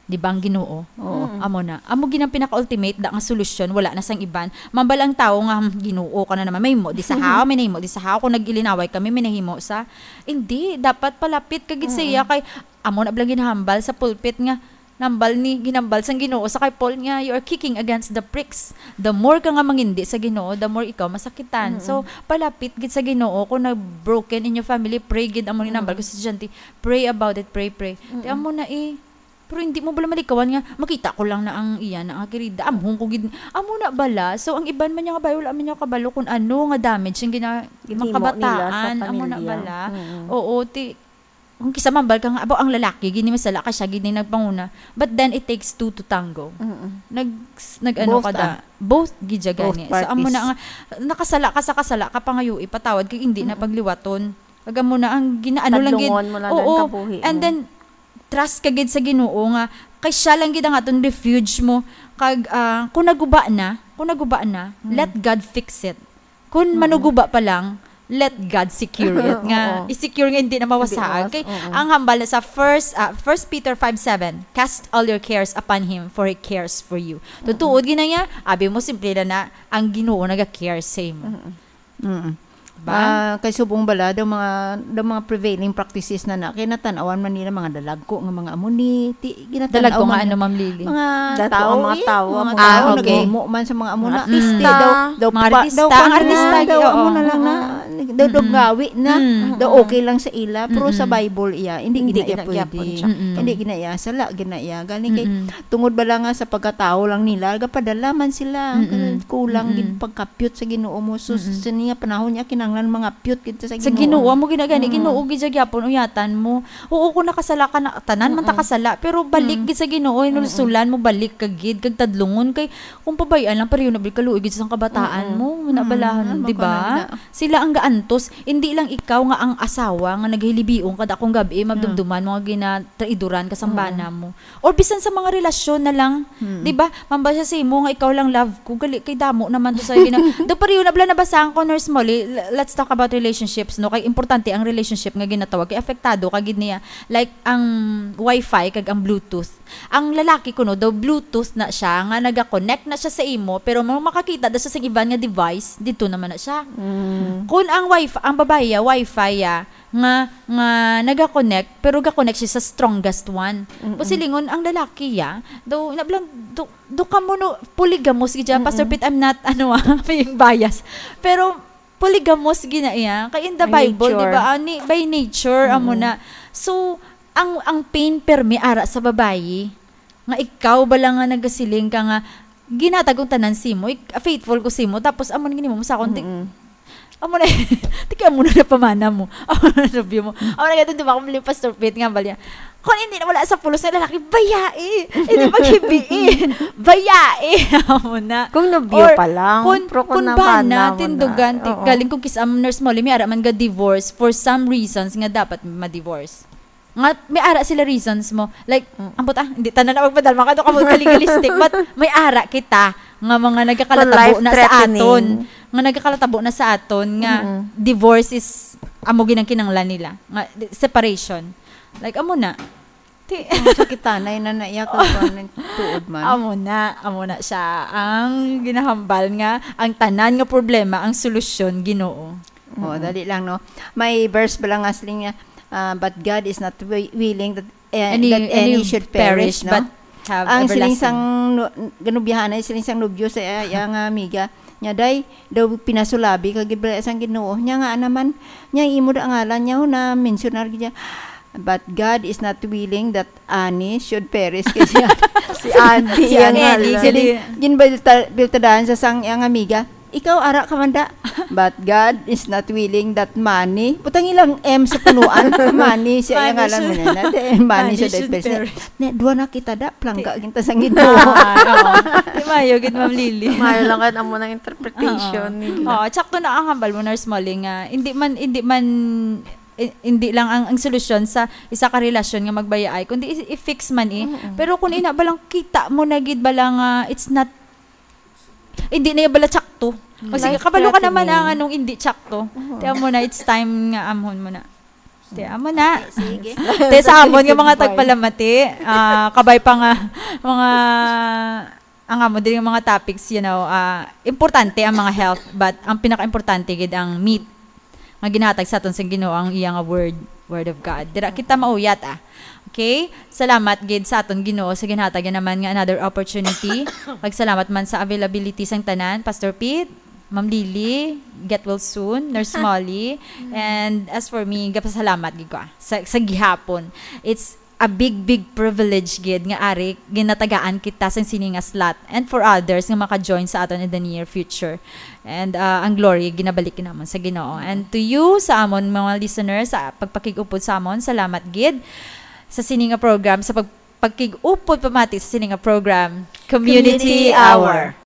Di ba ang Ginoo? Oo. Mm. Amo na. Amo gid ang pinaka-ultimate da nga solusyon, wala na sang iban. Mambal ang tawo nga, "Hmm, Ginoo ka na naman. May mo di sa haw, may nahimo di sa haw. Kung nag-ilinaway kami, may nahimo sa." Hindi, dapat palapit ka gid sa iya Mm-mm. kay amo na bala ginahambal sa pulpit nga nambal ni, ginambal sang Ginoo sa kay Paul nga, "You are kicking against the pricks." The more ka nga mangindi sa Ginoo, the more ikaw masakitan. Mm-mm. So, palapit gid sa Ginoo. Kung na-broken in your family, pray gid, amo ni nambal ko Mm-mm. sa estudyante, "Pray about it, pray, pray." Ti Mm-mm. amo na eh. Pero hindi mo bala malikawan nga, makita ko lang na ang iya na nga kirida. Amhon ko gid, amo na bala. So, ang iban man niya kabalo, wala man niya kabalo kung ano nga damage yung gina-, Ginhimo mga nila sa kabataan. Amo na pamilya. Bala. Mm-mm. Oo, ti, kung kisa mambal ka nga, "Abo, ang lalaki, gini masala ka siya, gini nagpanguna." But then, it takes two to tango. Mm-mm. Nag, nag, ano Both, ka da, ah. Both gid siya Both gani. So, amo na parties. Nga, nakasala ka sa kasala ka, pangayo, ipatawad, kay hindi na Mm-mm. pagliwaton. Kag amo na ang ginaano lang gid. Tadlungon mo lang Oo. ang kabuhi And mo. Then, trust ka gid sa Ginoo nga kay siya lang gid ang aton refuge mo. Kag, ah, kung naguba na, kung naguba na, Mm. let God fix it. Kung Mm. manuguba pa lang, let God secure it. Nga, Oo. i-secure nga hindi na mawasaag. Hindi mawas-, Kay, oo. ang hambal na sa first, ah, First Peter five seven, "Cast all your cares upon Him, for He cares for you." Mm-mm. Tutuod gid na niya, abi mo, simple na na, ang Ginoo naga-care sa imo. Mm-mm. Mm. Ba? Ah, kay subong bala, daw mga, daw mga prevailing practices na na, kay natan-awan man nila mga dalagko nga mga amo ni, ti, ginatan-aw Dalagko nga man ano, Ma'am Lily? Mga Dato tao, ang mga eh, tao, mga mga tao, tao, okay. naghimo man sa mga amo Mga na. artista. Daw, daw Mga pa, artista. daw Ang pa na, artista, daw oo. amo na lang na, daw, daw Mm-mm. gawi na, Mm. daw okay lang sa ila, pero sa Mm-mm. Bible iya, hindi Hindi gina iya gina iya pwede. pwede siya. Mm-mm. Hindi gina iya, sala gina iya. Gani kay, Mm-mm. tungod bala nga sa pagkatao lang nila, gapadala man sila, Mm-mm. kulang gid Mm-mm. pagka piyot sa Ginoo mo. So, Mm-mm. sa niya panahon niya, kinahanglan mga piyot gid sa Sa Ginoo. Ginoo, amo ginagani, Mm. Ginoo gid siya gyapon, uyatan mo. Oo, kung nakasala ka na, tanan man ta Mm-mm. kasala, pero balik Mm. gid sa Ginoo, Mm-mm. hinulsulan mo, balik ka gid, kag tadlungon, kay kung pabay-an lang, pareho na balik kaluoy gid sa kabataan Mm-mm. mo, na Mm-mm. balahan, Ano di ba ba? ka na? Sila ang gaantos, hindi lang ikaw nga ang asawa nga naghilibiong kada akong gabi, Mm. madumduman mo nga ginatraidoran ka sa Mm-mm. bana mo. Or bisan sa mga relasyon na lang, Mm. di ba? Mambal siya sa imo nga ikaw lang love ko, gali kay damo naman to sa gina-, do pareho na bala nabasahan ko, Nurse Molly, l-, let's talk about relationships, no? Kay importante ang relationship nga ginatawag, kay apektado ka gid niya. Like, ang wifi kag ang Bluetooth. Ang lalaki kuno daw Bluetooth na siya, nga naga-connect na siya sa imo, pero mo makakita daw siya sa iban nga device, dito naman na siya. Mm. Kung ang wifi, ang babae, ah, wifi, ah, nga, nga naga-connect, pero ga-connect siya sa strongest one. Mm-mm. Kung silingon ang lalaki, ya, daw, nablang, do, do ka mo, no, polygamous gid siya. Mm-mm. Pastor Pete, I'm not, ano, ah, being biased. Pero, polygamous gid na iya. Kay in the By Bible, di nature. ba, ani, by nature, amo Mm-mm. na. So, ang, ang pain permi ara sa babayi, nga ikaw bala nga nagasiling ka nga, ginatag kong tanan simo, ik-, faithful ko simo, tapos amo ni mo sa akon, ti-, Mm-mm. Amo na, ti kay amo na napamana mo. Amo na nobyo mo. Amo na gato, di ba, kung Pastor Pete nga, bali niya, "Kung hindi na wala sa pulos na lalaki, bayai. Hindi maghibii. Bayai." Amo na. Kung nobyo Or pa lang, kung, pero kung kung nabana bana, mo na. tindugan, ti-, Oo. galing kung kis-, um, Nurse Molly, may ara man ga divorce for some reasons nga dapat ma-divorce. Nga, may ara sila reasons mo. Like, Mm. ambot, ah, hindi tanan na magpadalma ka, do ka mo ka legalistic, but may ara kita nga mga nagakalatabo na sa Life-threatening. aton. Nga nagakalatabo na sa aton nga Mm-mm. divorce is amo ginang kinanglan nila. Nga, di-, separation. Like, amo na. Ti- Ang sakitanay na naiyak ko kung nagtuod man. Amo na, amo na siya. Ang ginahambal nga, ang tanan nga problema, ang solusyon, Ginoo. Oo, Mm-mm. dali lang, no? May verse ba lang nga siling niya, ah, "But God is not wi-, willing that, eh, Any, that any any should perish, perish, no?" but have Ang siling everlasting. sang nu-, ganubyahanay, siling sang nobyo sa iya, iya nga amiga, niya, "Day, daw pinasulabi ka gid bala sang Ginoo." Niya nga naman, niya imo da ngalan niya, ho, na mensionar gid niya. But God is not willing that any should perish. Kasi Si Andy, Si yan Andy, nga Andy, lang. sila, ginbilta-, biltadahan sa sang iyang amiga, "Ikaw, ara ka man da." But God is not willing that many. Butang ilang M sa punuan. Many siya Many yung ngalan mo should- niya. Many, many many should should perish. perish. Ne, duwa na kita da. Plangga Ti- ginta sang Ginoo. Ah, oo. Di mayo gid, Ma'am Lily. Mayo lang kan amo ng interpretation Oo. nila. Oo, tsakto na ang hambal mo, Nurse Molly, nga hindi man, hindi man, i- hindi lang ang, ang solusyon sa isa ka relasyon nga magbayaay, kundi i- i-fix man eh. Mm-mm. Pero kung ina ba lang kita mo na gid ba lang, ah, it's not, hindi na yung bala tsakto. O sige, Life kabalo ka naman threatening. Ang anong hindi tsakto. Oo. Tiyan mo na, it's time nga amon mo na. Tiyan mo na. Sige. Te sa amon nga mga Goodbye. tagpalamati, ah, kabay pa nga mga ang amo diri nga mga topics, you know, ah, importante ang mga health, but ang pinaka-importante gid ang meat nga ginatag sa aton sa Ginoo, ang iya nga word, word of God. Dira kita mauyat ah. Okay? Salamat gid sa aton Ginoo sa ginhatag niya naman nga another opportunity. Pagsalamat man sa availability sang tanan, Pastor Pete, Ma'am Lily, get well soon, Nurse Molly, and as for me, gapasalamat gid ko ah, sa, sa gihapon. It's a big, big privilege gid nga ari ginatagaan kita sang sini nga slot and for others nga maka-join sa aton in the near future. And uh, ang glory ginabalik namon sa Ginoo. And to you, sa amon mga listeners, sa pagpakig-upod sa amon, salamat gid sa sini nga program, sa pag pagkig-upod pamati sa sini nga program, Community Community Hour.